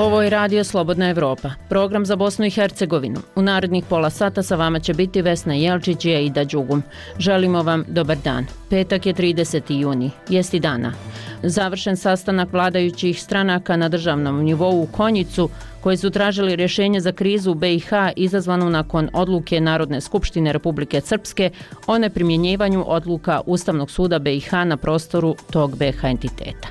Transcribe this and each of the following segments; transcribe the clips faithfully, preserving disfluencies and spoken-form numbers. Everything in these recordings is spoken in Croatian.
Ovo je Radio Slobodna Evropa, program za Bosnu i Hercegovinu. U narednih pola sata sa vama će biti Vesna Jelčić i Aida Đugum. Želimo vam dobar dan. Petak je trideseti juni, jesti dana. Završen sastanak vladajućih stranaka na državnom nivou u Konjicu, koji su tražili rješenje za krizu u be i ha izazvanu nakon odluke Narodne skupštine Republike Srpske o neprimjenjivanju odluka Ustavnog suda be i ha na prostoru tog be ha entiteta.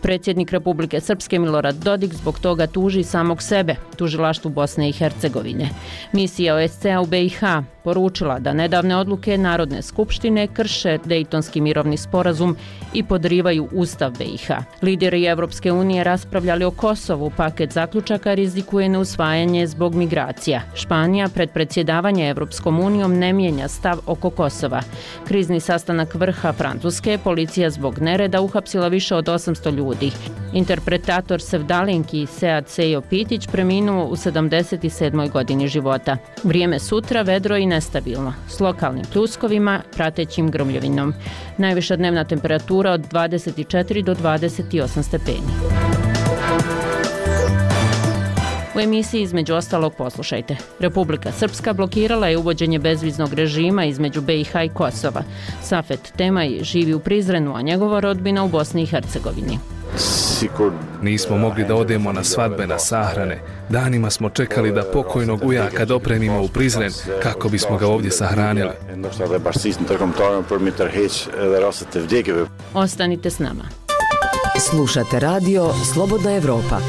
Predsjednik Republike Srpske Milorad Dodik zbog toga tuži samog sebe, tužilaštvu Bosne i Hercegovine. Misija o es ce a u be i ha poručila da nedavne odluke Narodne skupštine krše Dejtonski mirovni sporazum i podrivaju Ustav be i ha. Lideri Evropske unije raspravljali o Kosovu, paket zaključaka rizikuje neusvajanje zbog migracija. Španija pred predsjedavanje Evropskom unijom ne mijenja stav oko Kosova. Krizni sastanak vrha Francuske, policija zbog nereda uhapsila više od osamsto ljudi. Interpretator sevdalinki Sead Sejo Pitić preminuo u sedamdeset sedmoj godini života. Vrijeme sutra vedro i nestabilno, s lokalnim pljuskovima, pratećim gromljovinom. Najviša dnevna temperatura od dvadeset četiri do dvadeset osam stepeni. U emisiji između ostalog poslušajte. Republika Srpska blokirala je uvođenje bezviznog režima između be i ha i Kosova. Safet Temaj živi u Prizrenu, a njegova rodbina u Bosni i Hercegovini. Nismo mogli da odemo na svadbe, na sahrane. Danima smo čekali da pokojnog ujaka dopremimo u Prizren kako bismo ga ovdje sahranili. Ostanite s nama. Slušate radio Slobodna Evropa.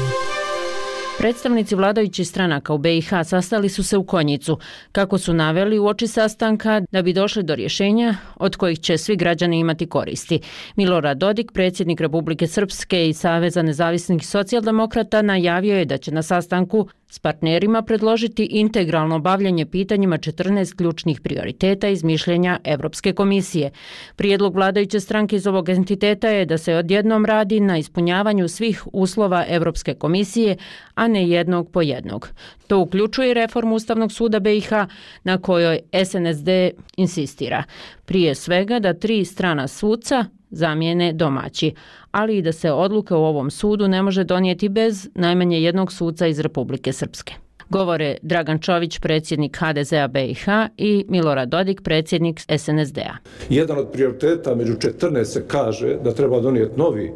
Predstavnici vladajućih stranaka u be i ha sastali su se u Konjicu, kako su naveli uoči sastanka da bi došli do rješenja od kojih će svi građani imati koristi. Milorad Dodik, predsjednik Republike Srpske i Saveza nezavisnih socijaldemokrata, najavio je da će na sastanku s partnerima predložiti integralno bavljanje pitanjima četrnaest ključnih prioriteta iz mišljenja Evropske komisije. Prijedlog vladajuće stranke iz ovog entiteta je da se odjednom radi na ispunjavanju svih uslova Evropske komisije, a ne jednog po jednog. To uključuje reformu Ustavnog suda be i ha na kojoj es en es de insistira. Prije svega da tri strana suca zamijene domaći, ali i da se odluka u ovom sudu ne može donijeti bez najmanje jednog suca iz Republike Srpske. Govore Dragan Čović, predsjednik ha de ze a be i ha i Milorad Dodik, predsjednik es en es de a. Jedan od prioriteta među četrnaest se kaže da treba donijeti novi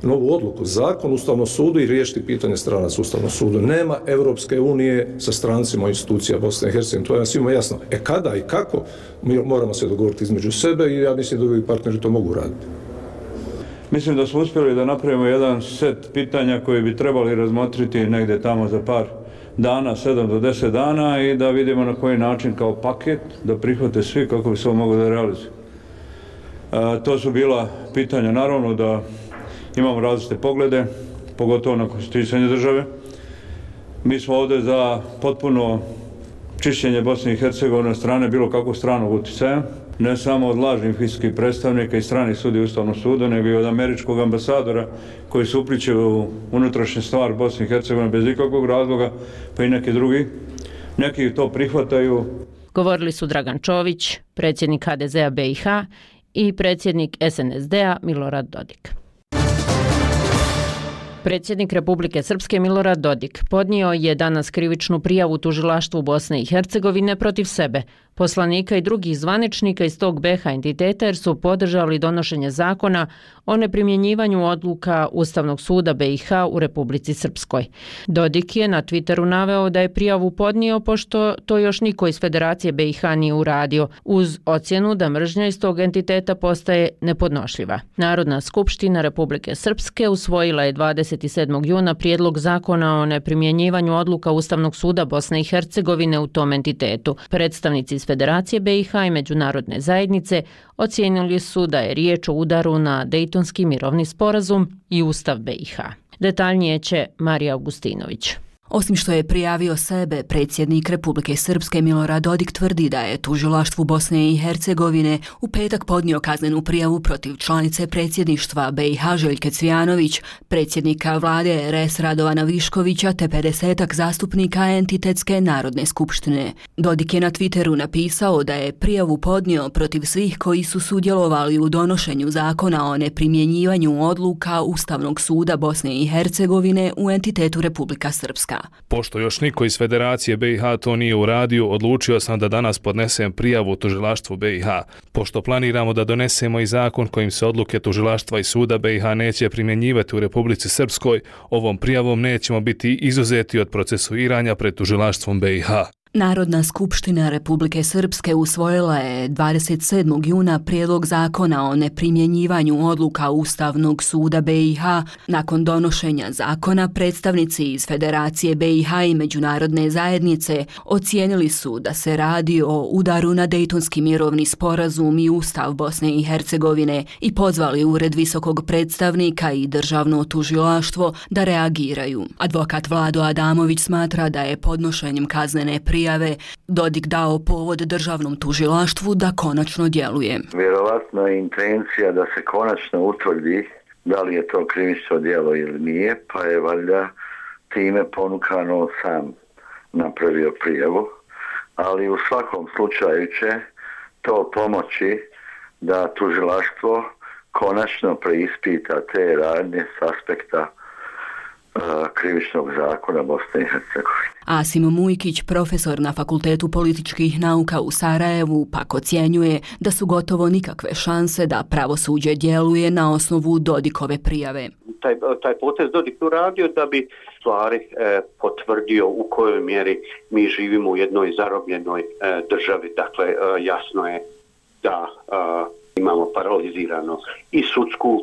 novu odluku, zakon Ustavnom sudu i riješiti pitanje stranaca Ustavnom sudu. Nema Evropske unije sa strancima institucija Bosne i Hercegovine, to je nam svima jasno. E kada i kako, mi moramo se dogovoriti između sebe i ja mislim da drugi partneri to mogu raditi. Mislim da smo uspjeli da napravimo jedan set pitanja koji bi trebali razmotriti negdje tamo za par dana, sedam do deset dana i da vidimo na koji način kao paket da prihvate svi kako bi se ovo moglo da realizuje. E, to su bila pitanja, naravno da imamo različite poglede, pogotovo na konstituisanje države. Mi smo ovdje za potpuno čišćenje Bosne i Hercegovine od strane bilo kakvog stranog utjecaja, ne samo od lažnih fiskalnih predstavnika i stranih sudija Ustavnog suda, nego i od američkog ambasadora koji se upliće u unutrašnje stvari Bosne i Hercegovine bez ikakvog razloga, pa i neki drugi. Neki to prihvataju. Govorili su Dragan Čović, predsjednik ha de ze a be i ha i predsjednik es en es de a Milorad Dodik. Predsjednik Republike Srpske Milorad Dodik podnio je danas krivičnu prijavu tužilaštvu Bosne i Hercegovine protiv sebe, poslanika i drugih zvaničnika iz tog be ha entiteta jer su podržali donošenje zakona o neprimjenjivanju odluka Ustavnog suda be i ha u Republici Srpskoj. Dodik je na Twitteru naveo da je prijavu podnio pošto to još niko iz Federacije be i ha nije uradio, uz ocjenu da mržnja iz tog entiteta postaje nepodnošljiva. Narodna skupština Republike Srpske usvojila je dvadeset sedmog juna prijedlog zakona o neprimjenjivanju odluka Ustavnog suda Bosne i Hercegovine u tom entitetu. Predstavnici iz Federacije be i ha i međunarodne zajednice ocijenili su da je riječ o udaru na Dejtonski mirovni sporazum i Ustav be i ha. Detaljnije će Marija Augustinović. Osim što je prijavio sebe, predsjednik Republike Srpske Milorad Dodik tvrdi da je tužilaštvu Bosne i Hercegovine u petak podnio kaznenu prijavu protiv članice predsjedništva B i H Željke Cvijanović, predsjednika vlade R S Radovana Viškovića te pedesetak zastupnika Entitetske narodne skupštine. Dodik je na Twitteru napisao da je prijavu podnio protiv svih koji su sudjelovali u donošenju zakona o neprimjenjivanju odluka Ustavnog suda Bosne i Hercegovine u entitetu Republika Srpska. Pošto još niko iz Federacije B i H to nije uradio, odlučio sam da danas podnesem prijavu tužilaštvu B i H. Pošto planiramo da donesemo i zakon kojim se odluke tužilaštva i suda B i H neće primjenjivati u Republici Srpskoj, ovom prijavom nećemo biti izuzeti od procesuiranja pred tužilaštvom B i H. Narodna skupština Republike Srpske usvojila je dvadeset sedmog juna prijedlog zakona o neprimjenjivanju odluka Ustavnog suda B i H. Nakon donošenja zakona, predstavnici iz Federacije B i H i Međunarodne zajednice ocijenili su da se radi o udaru na Dejtonski mirovni sporazum i Ustav Bosne i Hercegovine i pozvali Ured visokog predstavnika i državno tužilaštvo da reagiraju. Advokat Vlado Adamović smatra da je podnošenjem kaznene prijave Prijave Dodik dao povod državnom tužilaštvu da konačno djeluje. Vjerovatno je intencija da se konačno utvrdi da li je to krivično djelo ili nije, pa je valjda time ponukano sam napravio prijavu, ali u svakom slučaju će to pomoći da tužilaštvo konačno preispita te radnje s aspekta krivičnog zakona Bosne i Hercegovine. Asim Mujkić, profesor na Fakultetu političkih nauka u Sarajevu, pak ocjenjuje da su gotovo nikakve šanse da pravosuđe djeluje na osnovu Dodikove prijave. Taj, taj potez Dodik uradio da bi stvari e, potvrdio u kojoj mjeri mi živimo u jednoj zarobljenoj e, državi. Dakle, e, jasno je da e, imamo paralizirano i sudsku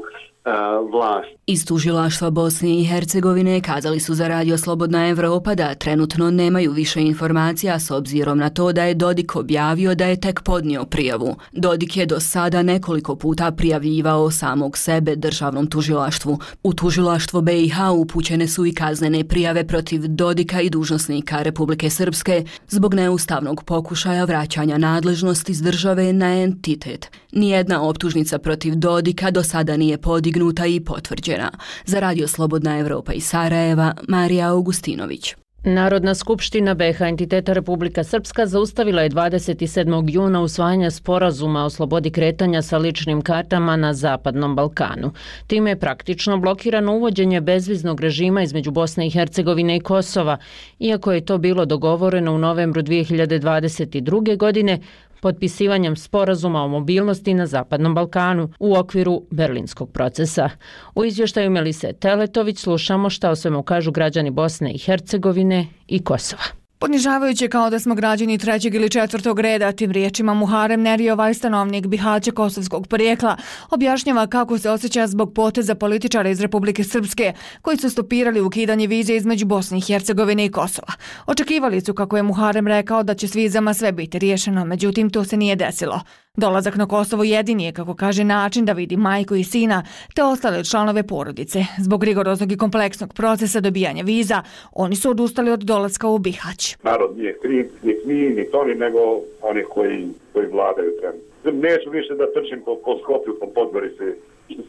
vlast. Iz tužilaštva Bosne i Hercegovine kazali su za Radio Slobodna Evropa da trenutno nemaju više informacija s obzirom na to da je Dodik objavio da je tek podnio prijavu. Dodik je do sada nekoliko puta prijavljivao samog sebe državnom tužilaštvu. U tužilaštvo B i H upućene su i kaznene prijave protiv Dodika i dužnosnika Republike Srpske zbog neustavnog pokušaja vraćanja nadležnosti iz države na entitet. Nijedna optužnica protiv Dodika do sada nije podignuta i potvrđena. Za Radio Slobodna Evropa iz Sarajeva, Marija Augustinović. Narodna skupština B i H entiteta Republika Srpska zaustavila je dvadeset sedmog juna usvajanje sporazuma o slobodi kretanja sa ličnim kartama na Zapadnom Balkanu. Time je praktično blokirano uvođenje bezviznog režima između Bosne i Hercegovine i Kosova, iako je to bilo dogovoreno u novembru dvije hiljade dvadeset druge. godine potpisivanjem sporazuma o mobilnosti na Zapadnom Balkanu u okviru Berlinskog procesa. U izvještaju Melise Teletović slušamo šta o svemu kažu građani Bosne i Hercegovine i Kosova. Ponižavajuće kao da smo građani trećeg ili četvrtog reda, tim riječima Muharem Nerijovaj, stanovnik Bihaća kosovskog porijekla, objašnjava kako se osjeća zbog poteza političara iz Republike Srpske koji su stopirali ukidanje vize između Bosne i Hercegovine i Kosova. Očekivali su, kako je Muharem rekao, da će s vizama sve biti riješeno, međutim to se nije desilo. Dolazak na Kosovo jedini je, kako kaže, način da vidi majku i sina te ostale članove porodice. Zbog rigoroznog i kompleksnog procesa dobijanja viza, oni su odustali od dolaska u Bihać. Narod nije kriv, ni mi, ni oni, nego oni koji, koji vladaju trenutno. Neću više da trčim po, po Skopju, po Podgorici,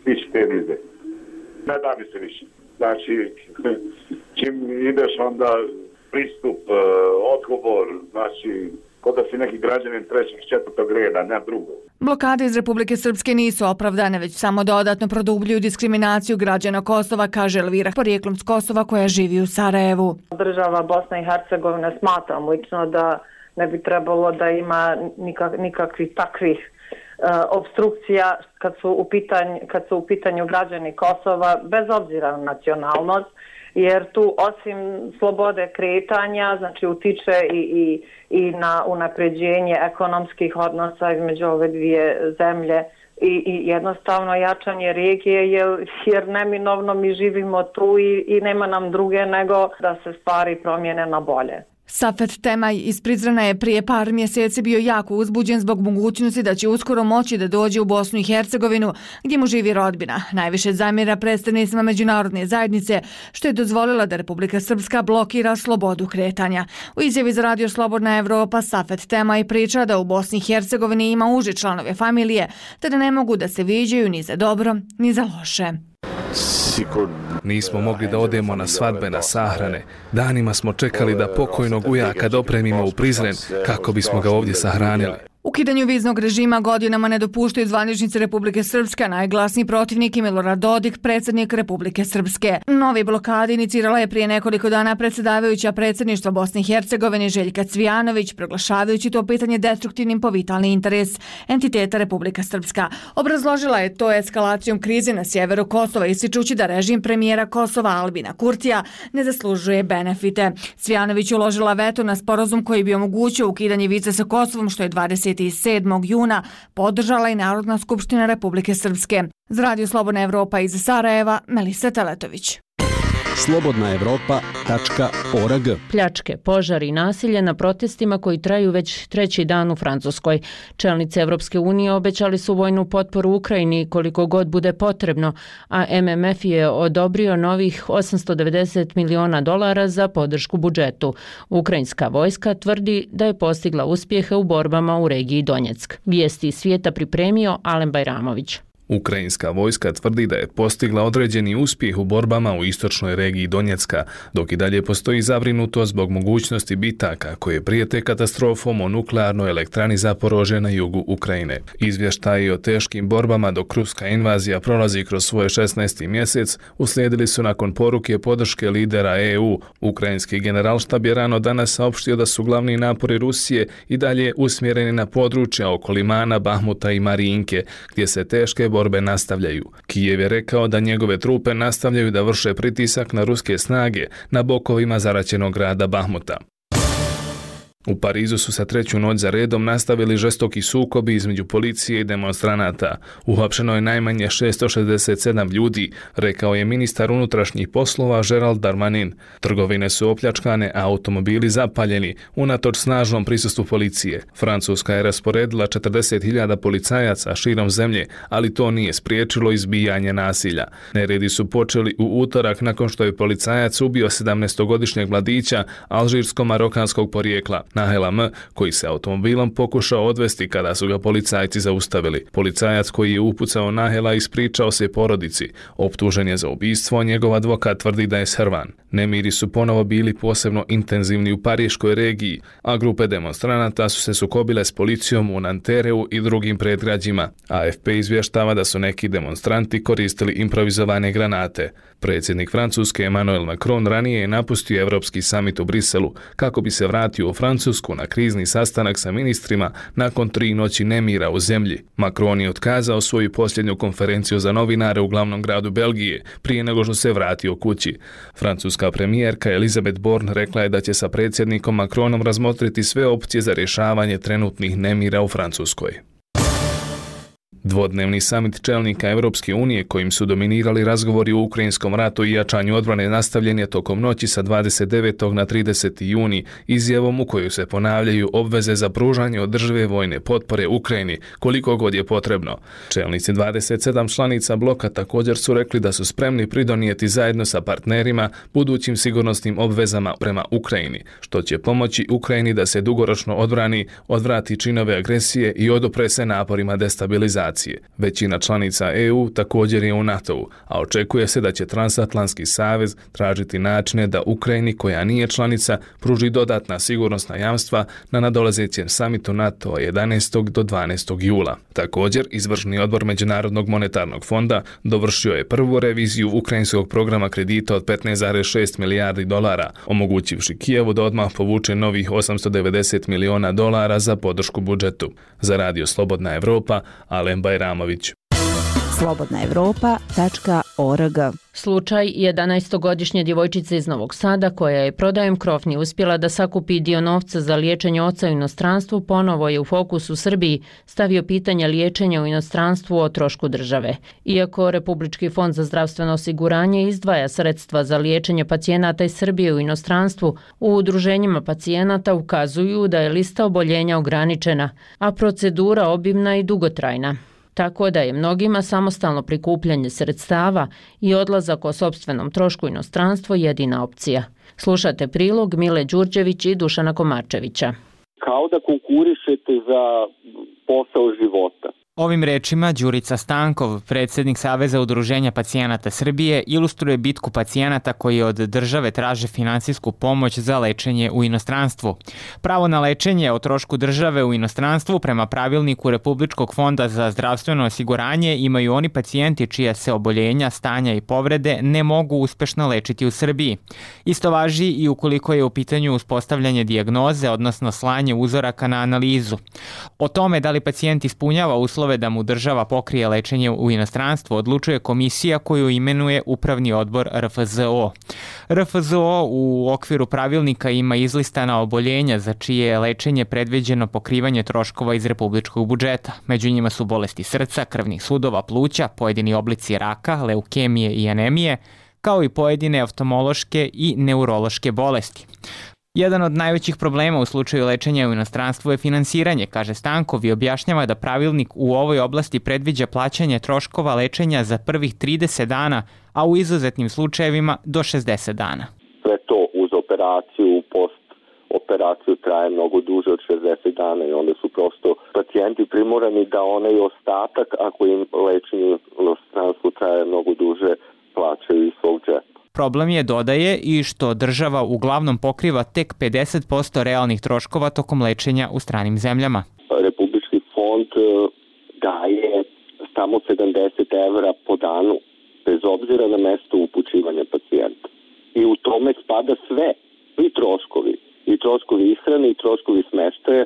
stići te vize. Ne da mi se više. Znači, čim ideš onda pristup, odgovor, znači, kod da si neki građanin trećeg, četvrtog reda, ne drugo. Blokade iz Republike Srpske nisu opravdane, već samo dodatno produbljuju diskriminaciju građana Kosova, kaže Elvira, porijeklom s Kosova, koja živi u Sarajevu. Država Bosna i Hercegovina, smatram lično da ne bi trebalo da ima nikak, nikakvih takvih uh, obstrukcija kad su, u pitanj, kad su u pitanju građani Kosova, bez obzira na nacionalnost, jer tu osim slobode kretanja, znači utiče i, i, i na unapređenje ekonomskih odnosa između ove dvije zemlje i, i jednostavno jačanje regije, jer, jer neminovno mi živimo tu i, i nema nam druge nego da se stvari promijene na bolje. Safet Temaj iz Prizrena je prije par mjeseci bio jako uzbuđen zbog mogućnosti da će uskoro moći da dođe u Bosnu i Hercegovinu, gdje mu živi rodbina. Najviše zamjera predstavnicima međunarodne zajednice, što je dozvolila da Republika Srpska blokira slobodu kretanja. U izjavi za Radio Slobodna Evropa Safet Temaj priča da u Bosni i Hercegovini ima uže članove familije, te da ne mogu da se viđaju ni za dobro, ni za loše. Nismo mogli da odemo na svadbe, na sahrane. Danima smo čekali da pokojnog ujaka dopremimo u Prizren kako bismo ga ovdje sahranili. Ukidanju viznog režima godinama ne dopuštaju zvaničnici Republike Srpske, a najglasniji protivnik je Milorad Dodik, predsjednik Republike Srpske. Novi blokadi inicirala je prije nekoliko dana predsjedavajuća predsjedništva Bosne i Hercegovine Željka Cvijanović, proglašavajući to pitanje destruktivnim po vitalni interes entiteta Republika Srpska. Obrazložila je to eskalacijom krize na sjeveru Kosova, ističući da režim premijera Kosova Albina Kurtija ne zaslužuje benefite. Cvijanović uložila veto na sporazum koji bi omogućio ukidanje vize sa Kosovom, što je dvadeset sedmog juna podržala i Narodna skupština Republike Srpske. Za Radio Slobodna Evropa iz Sarajeva, Melisa Teletović. slobodna evropa tačka org. Pljačke, požari i nasilje na protestima koji traju već treći dan u Francuskoj. Čelnici Evropske unije obećali su vojnu potporu Ukrajini koliko god bude potrebno, a M M F je odobrio novih osamsto devedeset miliona dolara za podršku budžetu. Ukrajinska vojska tvrdi da je postigla uspjehe u borbama u regiji Donjeck. Vijesti iz svijeta pripremio Alen Bajramović. Ukrajinska vojska tvrdi da je postigla određeni uspjeh u borbama u istočnoj regiji Donjecka, dok i dalje postoji zabrinutost zbog mogućnosti bitaka koje prijete katastrofom o nuklearnoj elektrani Zaporožje na jugu Ukrajine. Izvještaji o teškim borbama dok ruska invazija prolazi kroz svoj šesnaesti mjesec uslijedili su nakon poruke podrške lidera E U. Ukrajinski generalštab je rano danas saopštio da su glavni napori Rusije i dalje usmjereni na područja oko Limana, Bahmuta i Marijinke, gdje se teške borbe nastavljaju. Kijev je rekao da njegove trupe nastavljaju da vrše pritisak na ruske snage na bokovima zaraćenog grada Bahmuta. U Parizu su sa treću noć za redom nastavili žestoki sukobi između policije i demonstranata. Uhapšeno je najmanje šesto šezdeset sedam ljudi, rekao je ministar unutrašnjih poslova Gerald Darmanin. Trgovine su opljačkane, a automobili zapaljeni, unatoč snažnom prisustvu policije. Francuska je rasporedila četrdeset hiljada policajaca širom zemlje, ali to nije spriječilo izbijanje nasilja. Neredi su počeli u utorak nakon što je policajac ubio sedamnaestogodišnjeg mladića alžirsko-marokanskog porijekla, Nahela M, koji se automobilom pokušao odvesti kada su ga policajci zaustavili. Policajac koji je upucao Nahela ispričao se porodici. Optužen je za ubistvo, njegov advokat tvrdi da je srvan. Nemiri su ponovo bili posebno intenzivni u pariškoj regiji, a grupe demonstranata su se sukobile s policijom u Nantereu i drugim predgrađima. A F P izvještava da su neki demonstranti koristili improvizovane granate. Predsjednik Francuske Emmanuel Macron ranije je napustio Europski samit u Briselu kako bi se vratio u Francusku na krizni sastanak sa ministrima nakon tri noći nemira u zemlji. Macron je otkazao svoju posljednju konferenciju za novinare u glavnom gradu Belgije prije nego što se vratio kući. Francuska premijerka Elisabeth Borne rekla je da će sa predsjednikom Macronom razmotriti sve opcije za rješavanje trenutnih nemira u Francuskoj. Dvodnevni samit čelnika Europske unije kojim su dominirali razgovori o ukrajinskom ratu i jačanju odbrane nastavljen je tokom noći sa dvadeset devetog na trideseti juni izjavom u kojoj se ponavljaju obveze za pružanje održive vojne potpore Ukrajini koliko god je potrebno. Čelnici dvadeset sedam članica bloka također su rekli da su spremni pridonijeti zajedno sa partnerima budućim sigurnosnim obvezama prema Ukrajini, što će pomoći Ukrajini da se dugoročno odbrani, odvrati činove agresije i odupre se naporima destabilizacije. Većina članica E U također je u NATO-u, a očekuje se da će Transatlantski savez tražiti načine da Ukrajini, koja nije članica, pruži dodatna sigurnosna jamstva na nadolazećem samitu NATO jedanaestog do dvanaestog jula. Također, izvršni odbor Međunarodnog monetarnog fonda dovršio je prvu reviziju ukrajinskog programa kredita od petnaest zarez šest milijardi dolara, omogućivši Kijevu da odmah povuče novih osamsto devedeset miliona dolara za podršku budžetu. Za Radio Slobodna Evropa, Alen Bajramović. slobodna evropa tačka O R G. Slučaj jedanaestogodišnje djevojčice iz Novog Sada koja je prodajem krofni uspjela da sakupi dio novca za liječenje oca u inostranstvu ponovo je u fokus u Srbiji stavio pitanje liječenja u inostranstvu o trošku države. Iako Republički fond za zdravstveno osiguranje izdvaja sredstva za liječenje pacijenata iz Srbije u inostranstvu, u udruženjima pacijenata ukazuju da je lista oboljenja ograničena, a procedura obimna i dugotrajna. Tako da je mnogima samostalno prikupljanje sredstava i odlazak o sopstvenom trošku u inostranstvo jedina opcija. Slušate prilog Mile Đurđević i Dušana Komarčevića. Kao da konkurišete za posao života. Ovim rečima Đurica Stankov, predsjednik Saveza udruženja pacijenata Srbije, ilustruje bitku pacijenata koji od države traže finansijsku pomoć za lečenje u inostranstvu. Pravo na lečenje o trošku države u inostranstvu prema pravilniku Republičkog fonda za zdravstveno osiguranje imaju oni pacijenti čija se oboljenja, stanja i povrede ne mogu uspešno lečiti u Srbiji. Isto važi i ukoliko je u pitanju uspostavljanje dijagnoze, odnosno slanje uzoraka na analizu. O tome da li pacijent ispunjava uslove da mu država pokrije lečenje u inostranstvu odlučuje komisija koju imenuje Upravni odbor R F Z O. R F Z O u okviru pravilnika ima izlistana oboljenja za čije je lečenje predviđeno pokrivanje troškova iz republičkog budžeta. Među njima su bolesti srca, krvnih sudova, pluća, pojedini oblici raka, leukemije i anemije, kao i pojedine oftalmološke i neurološke bolesti. Jedan od najvećih problema u slučaju lečenja u inostranstvu je finansiranje, kaže Stankov i objašnjava da pravilnik u ovoj oblasti predviđa plaćanje troškova lečenja za prvih trideset dana, a u izuzetnim slučajevima do šezdeset dana. Sve to uz operaciju, post operaciju traje mnogo duže od šezdeset dana i onda su prosto pacijenti primorani da onaj ostatak, ako im lečenje u inostranstvu traje mnogo duže, plaćaju iz svog džepa. Problem je, dodaje, i što država uglavnom pokriva tek pedeset posto realnih troškova tokom lečenja u stranim zemljama. Republički fond daje samo sedamdeset evra po danu, bez obzira na mesto upućivanja pacijenta. I u tome spada sve, i troškovi, i troškovi ishrane, i troškovi smeštaja.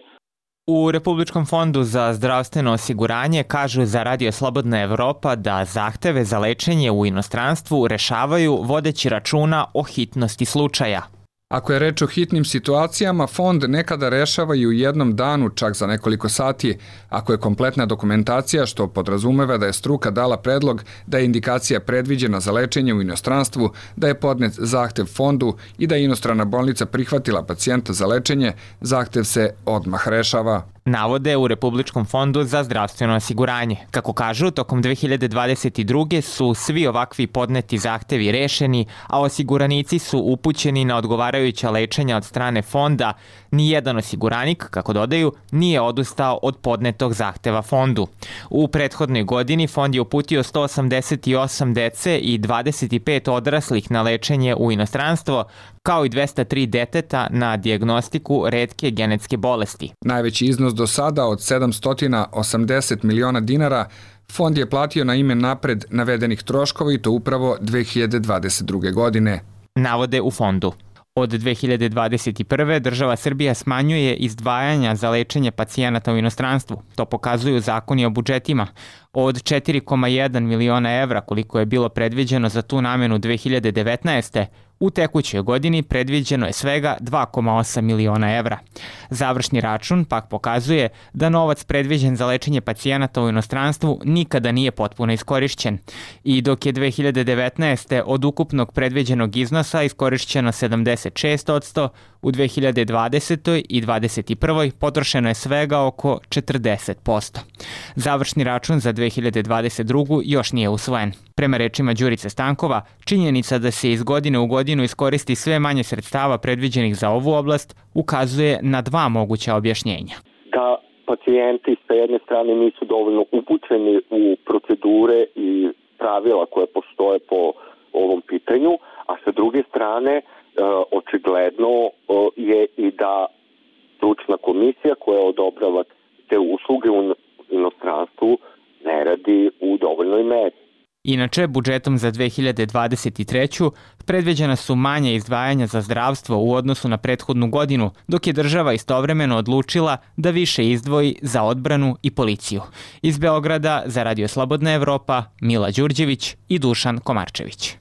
U Republičkom fondu za zdravstveno osiguranje kažu za Radio Slobodna Evropa da zahteve za lečenje u inostranstvu rešavaju vodeći računa o hitnosti slučaja. Ako je reč o hitnim situacijama, fond nekada rešava i u jednom danu, čak za nekoliko sati, ako je kompletna dokumentacija, što podrazumeva da je struka dala predlog da je indikacija predviđena za lečenje u inostranstvu, da je podnet zahtev fondu i da je inostrana bolnica prihvatila pacijenta za lečenje, zahtev se odmah rešava. Navode u Republičkom fondu za zdravstveno osiguranje. Kako kažu, tokom dve hiljade dvadeset druge su svi ovakvi podneti zahtevi rešeni, a osiguranici su upućeni na odgovarajuća lečenja od strane fonda. Nijedan osiguranik, kako dodaju, nije odustao od podnetog zahteva fondu. U prethodnoj godini fond je uputio sto osamdeset osam dece i dvadeset pet odraslih na lečenje u inostranstvo, kao i dvesta tri deteta na dijagnostiku retke genetske bolesti. Najveći iznos do sada od sedamsto osamdeset miliona dinara fond je platio na ime napred navedenih troškova i to upravo dve hiljade dvadeset druge. godine. Navode u fondu. Od dve hiljade dvadeset prve. država Srbija smanjuje izdvajanja za lečenje pacijenata u inostranstvu. To pokazuju zakoni o budžetima. Od četiri zarez jedan miliona evra koliko je bilo predviđeno za tu namenu dve hiljade devetnaeste. u tekućoj godini predviđeno je svega dva zarez osam miliona evra. Završni račun pak pokazuje da novac predviđen za lečenje pacijenata u inostranstvu nikada nije potpuno iskorišćen. I dok je dve hiljade devetnaeste. od ukupnog predviđenog iznosa iskorišćeno sedamdeset šest posto, u dve hiljade dvadesetoj. i dvadeset prvoj. potrošeno je svega oko četrdeset posto. Završni račun za dve hiljade dvadeset drugu. još nije usvojen. Prema rečima Đurice Stankova, činjenica da se iz godine u godinu iskoristi sve manje sredstava predviđenih za ovu oblast ukazuje na dva moguća objašnjenja. Da pacijenti sa jedne strane nisu dovoljno upućeni u procedure i pravila koje postoje po ovom pitanju, a sa druge strane očigledno je i da stručna komisija koja odobrava te usluge u inostranstvu ne radi u dovoljnoj meri. Inače, budžetom za dve hiljade dvadeset treću. predviđena su manje izdvajanja za zdravstvo u odnosu na prethodnu godinu, dok je država istovremeno odlučila da više izdvoji za odbranu i policiju. Iz Beograda za Radio Slobodna Evropa, Mila Đurđević i Dušan Komarčević.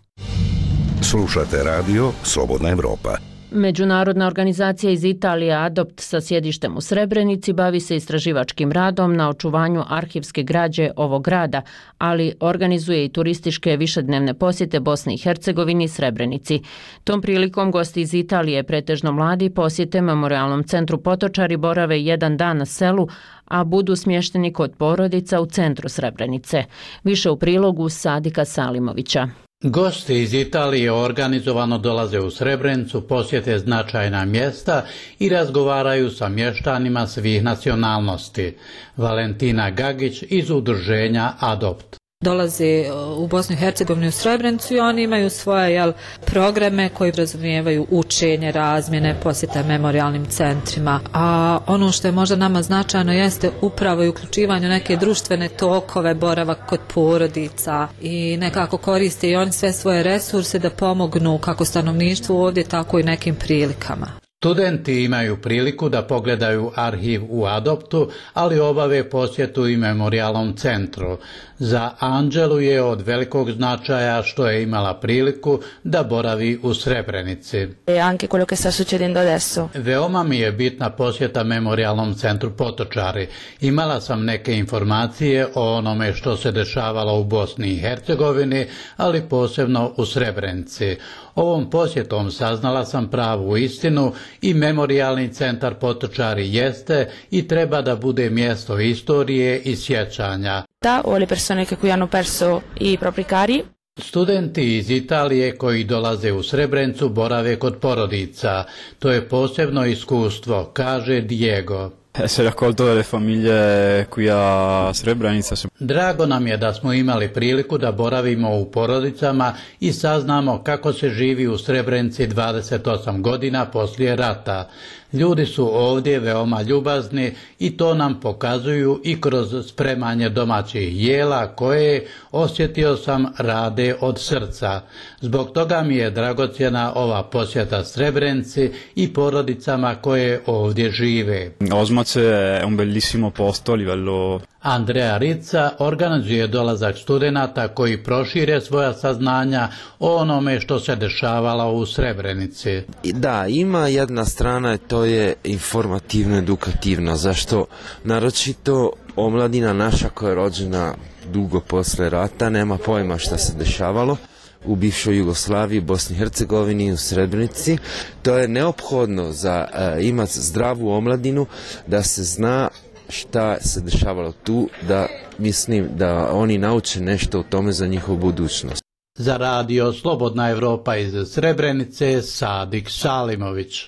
Slušate Radio Slobodna Evropa. Međunarodna organizacija iz Italije Adopt sa sjedištem u Srebrenici bavi se istraživačkim radom na očuvanju arhivske građe ovog grada, ali organizuje i turističke višednevne posjete Bosni i Hercegovini i Srebrenici. Tom prilikom gosti iz Italije, pretežno mladi, posjete Memorijalnom centru Potočari, borave jedan dan na selu, a budu smješteni kod porodica u centru Srebrenice. Više u prilogu Sadika Salimovića. Gosti iz Italije organizovano dolaze u Srebrenicu, posjete značajna mjesta i razgovaraju sa mještanima svih nacionalnosti. Valentina Gagić iz udruženja Adopt. Dolaze u Bosnu i Hercegovinu u Srebrenicu i oni imaju svoje jel, programe koji razumijevaju učenje, razmjene, posjeta memorijalnim centrima. A ono što je možda nama značajno jeste upravo i uključivanje neke društvene tokove, boravak kod porodica i nekako koriste i oni sve svoje resurse da pomognu kako stanovništvu ovdje, tako i nekim prilikama. Studenti imaju priliku da pogledaju arhiv u Adoptu, ali obave posjetu i memorijalnom centru. Za Anđelu je od velikog značaja što je imala priliku da boravi u Srebrenici. E anche quello che sta succedendo adesso. Veoma mi je bitna posjeta memorijalnom centru Potočari. Imala sam neke informacije o onome što se dešavalo u Bosni i Hercegovini, ali posebno u Srebrenici. Ovom posjetom saznala sam pravu istinu i memorijalni centar Potočari jeste i treba da bude mjesto istorije i sjećanja. Da, o le persone che qui hanno perso i propri cari. Studenti iz Italije koji dolaze u Srebrenicu borave kod porodica. To je posebno iskustvo, kaže Diego. Essere accolto dalle famiglie qui a Srebrenica. Drago nam je da smo imali priliku da boravimo u porodicama i saznamo kako se živi u Srebrenici dvadeset osam godina poslije rata. Ljudi su ovdje veoma ljubazni i to nam pokazuju i kroz spremanje domaćih jela koje, osjetio sam, rade od srca. Zbog toga mi je dragocjena ova posjeta Srebrenici i porodicama koje ovdje žive. Osmac è un bellissimo posto a livello. Andrea Rica organizuje dolazak studenata koji prošire svoja saznanja o onome što se dešavalo u Srebrenici. Da, ima jedna strana, to je informativno, edukativno. Zašto? Naročito omladina naša koja je rođena dugo posle rata nema pojma šta se dešavalo u bivšoj Jugoslaviji, Bosni i Hercegovini i u Srebrenici. To je neophodno za uh, imati zdravu omladinu, da se zna šta se dešavalo tu, da mislim da oni nauče nešto o tome za njihovu budućnost. Za Radio Slobodna Evropa iz Srebrenice, Sadik Salimović.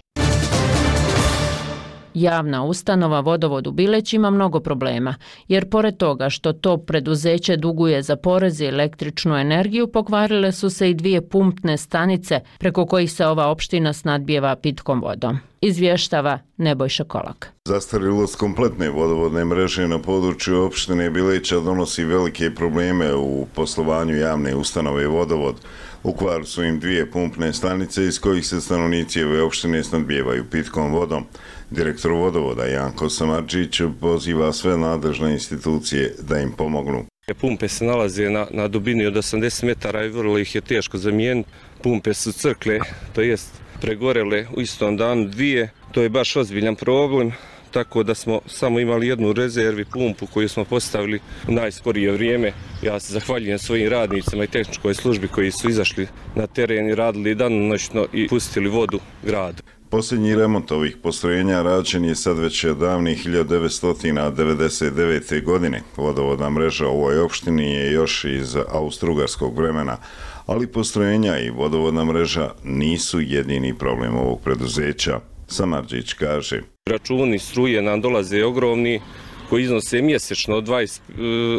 Javna ustanova Vodovod u Bileć ima mnogo problema, jer pored toga što to preduzeće duguje za porez i električnu energiju, pokvarile su se i dvije pumpne stanice preko kojih se ova opština snadbijeva pitkom vodom. Izvještava Nebojša Kolak. Zastarjelost kompletne vodovodne mreže na području opštine Bileća donosi velike probleme u poslovanju javne ustanove Vodovod. U kvaru su im dvije pumpne stanice iz kojih se stanovnici ove opštine snadbijevaju pitkom vodom. Direktor Vodovoda Janko Samarđić poziva sve nadležne institucije da im pomognu. Pumpe se nalaze na, na dubini od osamdeset metara i vrlo ih je teško zamijeniti. Pumpe su crkle, to jest pregorele u istom danu dvije. To je baš ozbiljan problem, tako da smo samo imali jednu rezervi pumpu koju smo postavili u najskorije vrijeme. Ja se zahvaljujem svojim radnicima i tehničkoj službi koji su izašli na teren i radili danonoćno i pustili vodu gradu. Posljednji remont ovih postrojenja rađen je sad već od davnih hiljadu devetsto devedeset devete. godine. Vodovodna mreža u ovoj opštini je još iz austrougarskog vremena, ali postrojenja i vodovodna mreža nisu jedini problem ovog preduzeća. Samarđić kaže. Računi struje nam dolaze ogromni, koji iznose mjesečno od, dvadeset,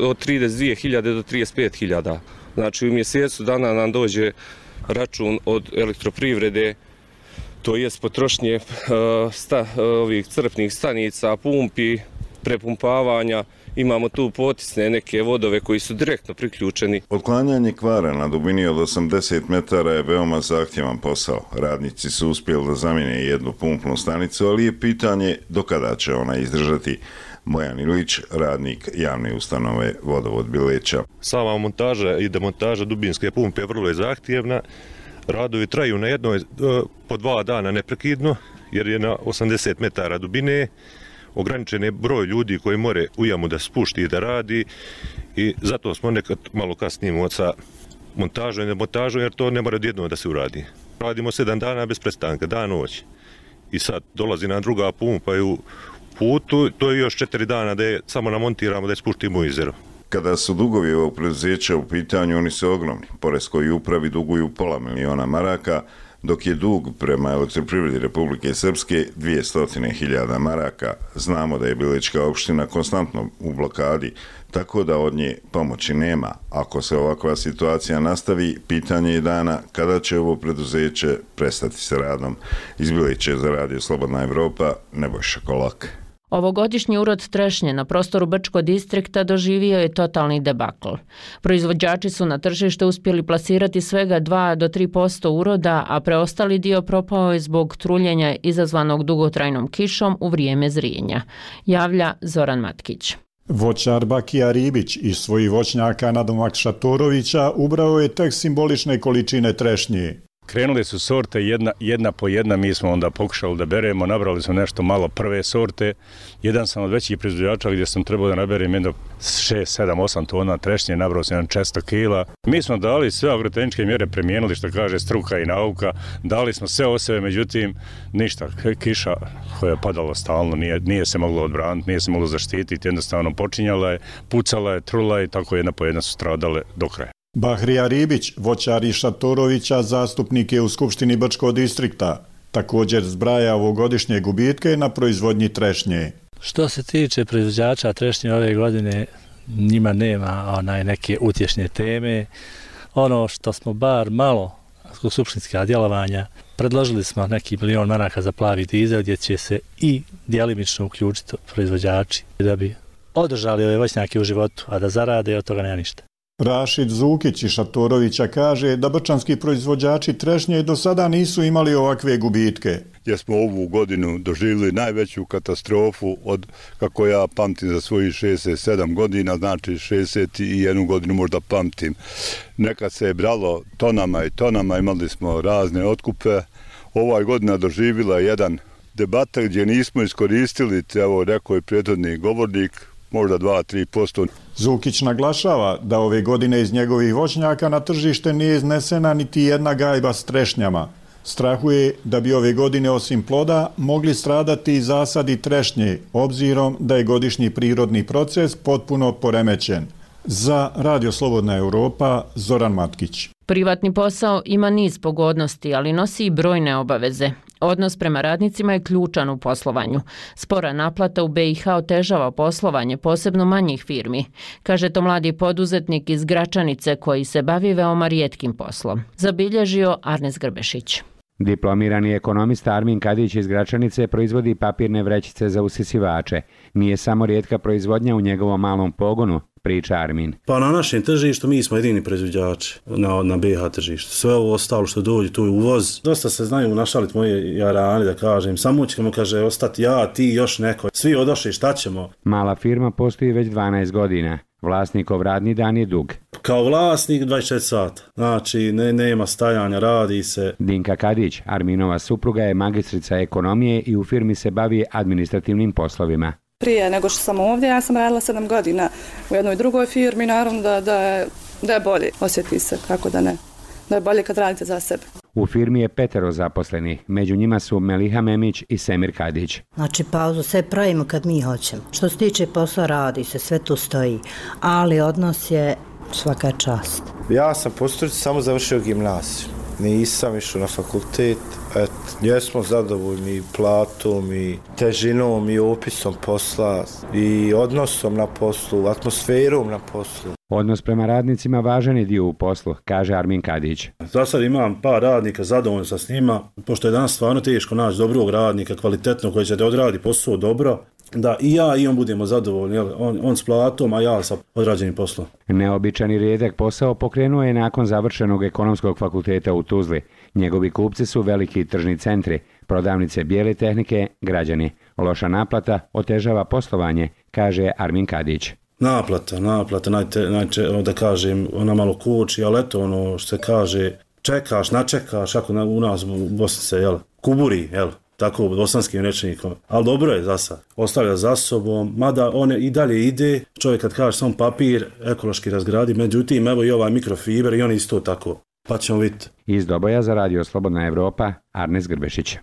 od trideset dvije hiljade do trideset pet hiljada. Znači u mjesecu dana nam dođe račun od elektroprivrede, to jest potrošnje sta, ovih crpnih stanica, pumpi prepumpavanja, imamo tu potisne neke vodove koji su direktno priključeni. Otklanjanje kvara na dubini od osamdeset metara je veoma zahtjevan posao. Radnici su uspjeli da zamijene jednu pumpnu stanicu, ali je pitanje do kada će ona izdržati. Bojan Ilić, radnik javne ustanove Vodovod Bileća. Sama montaža i demontaža dubinske pumpe je vrlo zahtjevna. Radovi traju na jednoj po dva dana neprekidno, jer je na osamdeset metara dubine, ograničen je broj ljudi koji more u jamu da spušti i da radi i zato smo nekad malo kasnimo sa montažom i demontažom, jer to ne mora odjednom da se uradi. Radimo sedam dana bez prestanka, dan noć. I sad dolazi nam druga pumpa i u putu, to je još četiri dana da je samo namontiramo da je spuštimo u jezero. Kada su dugovi ovog preduzeća u pitanju, oni su ogromni. Poreskoj upravi duguju pola miliona maraka, dok je dug prema Elektroprivredi Republike Srpske dvjesto hiljada maraka. Znamo da je Bilećka opština konstantno u blokadi, tako da od nje pomoći nema. Ako se ovakva situacija nastavi, pitanje je dana kada će ovo preduzeće prestati sa radom. Iz Bileće za Radio Slobodna Evropa, Nebojša Kolak. Ovogodišnji urod trešnje na prostoru Brčkog distrikta doživio je totalni debakl. Proizvođači su na tržište uspjeli plasirati svega dva do tri posto uroda, a preostali dio propao je zbog truljenja izazvanog dugotrajnom kišom u vrijeme zrijenja, javlja Zoran Matkić. Voćar Bakija Ribić iz svojih voćnjaka nadomak Šatorovića ubrao je tek simbolične količine trešnje. Krenuli su sorte jedna, jedna po jedna, mi smo onda pokušali da beremo, nabrali smo nešto malo prve sorte. Jedan sam od većih proizvođača gdje sam trebao da naberem jedno šest, sedam, osam tona trešnje, nabrao sam jedan četiristo kila. Mi smo dali sve agrotehničke mjere, primijenili što kaže struka i nauka, dali smo sve od sebe, međutim ništa, kiša koja je padala stalno, nije, nije se moglo odbraniti, nije se moglo zaštititi, jednostavno počinjala je, pucala je, trula je, tako jedna po jedna su stradale do kraja. Bahrija Ribić, voćar iz Šatorovića, zastupnik je u Skupštini Brčkog distrikta. Također zbraja ovogodišnje gubitke na proizvodnji trešnje. Što se tiče proizvođača trešnje ove godine, njima nema onaj neke utješne teme. Ono što smo bar malo zbog skupštinska djelovanja, predložili smo neki milion maraka za plavi dizel gdje će se i djelimično uključiti proizvođači da bi održali ove voćnjake u životu, a da zarade od toga nema ništa. Rašid Zukić iz Šatorovića kaže da brčanski proizvođači trešnje do sada nisu imali ovakve gubitke. Jer smo ovu godinu doživjeli najveću katastrofu od, kako ja pamtim za svojih šezdeset sedam godina, znači šezdeset jednu godinu možda pamtim. Nekad se je bralo tonama i tonama, imali smo razne otkupe. Ovaj godina doživjela jedan debata gdje nismo iskoristili, evo rekao je prethodni govornik, možda dva do tri posto. Zukić naglašava da ove godine iz njegovih voćnjaka na tržište nije iznesena niti jedna gajba s trešnjama. Strahuje da bi ove godine osim ploda mogli stradati i zasadi trešnje, obzirom da je godišnji prirodni proces potpuno poremećen. Za Radio Slobodna Evropa, Zoran Matkić. Privatni posao ima niz pogodnosti, ali nosi i brojne obaveze. Odnos prema radnicima je ključan u poslovanju. Spora naplata u B i H otežava poslovanje, posebno manjih firmi, kaže to mladi poduzetnik iz Gračanice koji se bavi veoma rijetkim poslom. Zabilježio Arnes Grbešić. Diplomirani ekonomista Armin Kadić iz Gračanice proizvodi papirne vrećice za usisivače. Nije samo rijetka proizvodnja u njegovom malom pogonu, priča Armin. Pa na našem tržištu mi smo jedini proizvođači na, na B i H tržištu. Sve ovo ostalo što dođe, tu je uvoz. Dosta se znaju našaliti moje jarani, da kažem. Samo ćemo, kaže, ostati ja, ti, još neko. Svi odošli, šta ćemo? Mala firma postoji već dvanaest godina. Vlasnikov radni dan je dug. Kao vlasnik dvadeset četiri sata. Znači, ne, nema stajanja, radi se. Dinka Kadić, Arminova supruga, je magistrica ekonomije i u firmi se bavi administrativnim poslovima. Prije nego što sam ovdje, ja sam radila sedam godina u jednoj drugoj firmi, naravno da, da, je, da je bolje, osjeti se, kako da ne, da je bolje kad radite za sebe. U firmi je petero zaposlenih, među njima su Meliha Memić i Semir Kadić. Znači pauzu sve pravimo kad mi hoćemo. Što se tiče posla radi se, sve tu stoji, ali odnos je svaka čast. Ja sam po struci samo završio gimnaziju, nisam išao na fakultet. Et, jesmo zadovoljni platom i težinom i opisom posla i odnosom na poslu, atmosferom na poslu. Odnos prema radnicima važan je dio u poslu, kaže Armin Kadić. Za sad imam par radnika, zadovoljno sam s njima, pošto je danas stvarno teško naći dobrog radnika, kvalitetno, koji će da odradi posao dobro. da i ja i on budemo zadovoljni, jel? On, on s platom, a ja sa odrađenim poslom. Neobičan i rijedak posao pokrenuo je nakon završenog ekonomskog fakulteta u Tuzli. Njegovi kupci su veliki tržni centri, prodavnice bijele tehnike, građani. Loša naplata otežava poslovanje, kaže Armin Kadić. Naplata, naplata, najte, najče, da kažem, ona malo koči, ali eto ono što se kaže, čekaš, načekaš, kako na, u nas u Bosni se, jel, kuburi, jel, tako bosanskim rečenikom, ali dobro je za sad, ostavlja za sobom, mada on i dalje ide, čovjek kad kaže sam papir, ekološki razgradi, međutim, evo i ovaj mikrofiber i on isto tako, pa ćemo vidjeti. Iz Doboja za Radio Slobodna Evropa, Arnes Grbešić.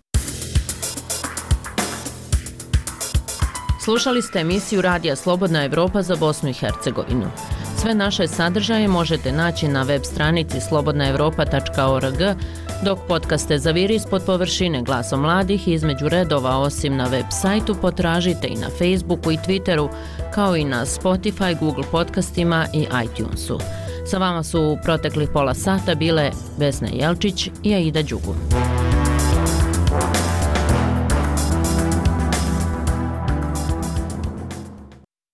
Slušali ste emisiju Radija Slobodna Evropa za Bosnu i Hercegovinu. Sve naše sadržaje možete naći na web stranici slobodna evropa tačka org, dok podcaste Zaviri ispod površine Glasom mladih između redova osim na web sajtu potražite i na Facebooku i Twitteru, kao i na Spotify, Google podcastima i iTunesu. Sa vama su u proteklih pola sata bile Vesna Jelčić i Aida Đugu.